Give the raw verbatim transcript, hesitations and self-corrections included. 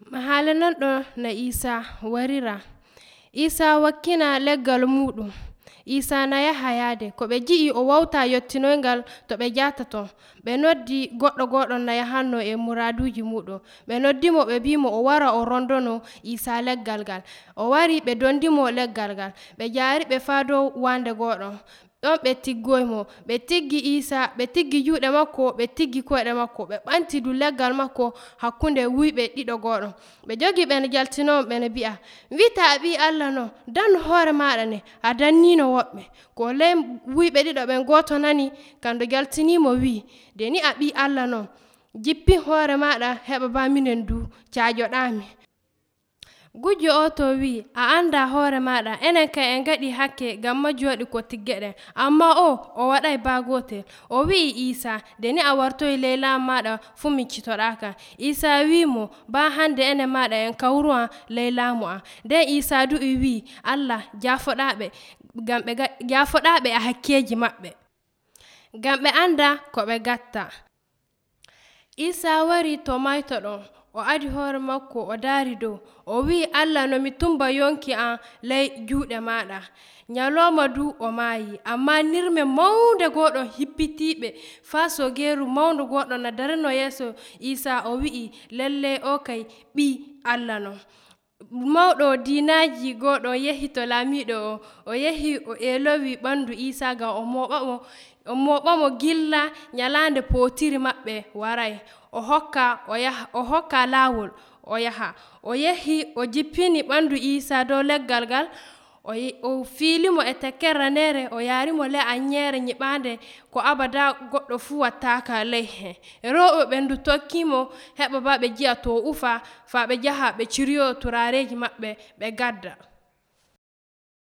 Halananɗo na Isa warira. Isa wakkina leggal muɗum. Isa na yaha yaade ko ɓe gi'i o wawta yottinoyngal to ɓe jata ton ɓe noddi goɗɗo goɗɗon na yahanno e muraduji muɗum ɓe noddimo ɓe bimo o wara o rondono Isa leggal ngal o wari ɓe dondimo leggal ngal ɓe jari ɓe faa dow wande goɗon ɗon ɓe tiggoymo ɓe tiggi Isa ɓe tiggi juuɗe makko ɓe tiggi koyɗe makko ɓe ɓanti du leggal makko hakkunde wuyɓe ɗiɗo goɗon ɓe jogi ɓene jaltinomo ɓene bi'a wi'ata a ɓi Allah non dannu hoore maɗa ne a dannino woɓɓe ko ley wuyɓe ɗiɗo ɓen goto nani kando jaltinimo wi deni a ɓi Allah non jippin hoore maɗa heɓa ba minen du cajoɗami. Gujjo o to wi a anda hoore maɗa enen kay en gaɗi hakke gamma joɗi ko tiggeɗen amma o o waɗay ba gotel o wi'i Isa deni a wartoyi ley laamu maɗa fu miccitoɗaka. Isa wimo ba hande enen maɗa en kawruwa ley laamu am nden Isa du'i wi Allah jafoɗaɓe ngam ɓe ga jafoɗaɓe e hakkeji maɓɓe ngam ɓe anda ko ɓe gatta. Isa wari to mayto ɗon o adi hoore makko o daari dow o wi Allah no mi tumba yonki am ley juuɗe maɗa nyaloma du o maayi amma nirme mawnde goɗon hippitiɓe faa sogeru mawndu goɗɗo na darino yeeso Isa o wi'i lallai o kay ɓi Allah non. Mawɗo diinaji goɗon yehi to laamiɗo o o yehi o elowi ɓandu Isa ngam o moɓamo o moɓamo gilla nyalande potiri maɓɓe waray o hokka o yaha o hokka lawol o yaha o yehi o jippini ɓandu Isa dow leggal ngal o o fiilimo e tekkere ranere o yarimo ley anyere nyiɓande ko abada goɗɗo fu wattaka ley hen rewɓe ɓen du tokkimo heɓa ba ɓe jiya to ufa faa ɓe jaha ɓe ciriyo turareji maɓɓe ɓe gadda.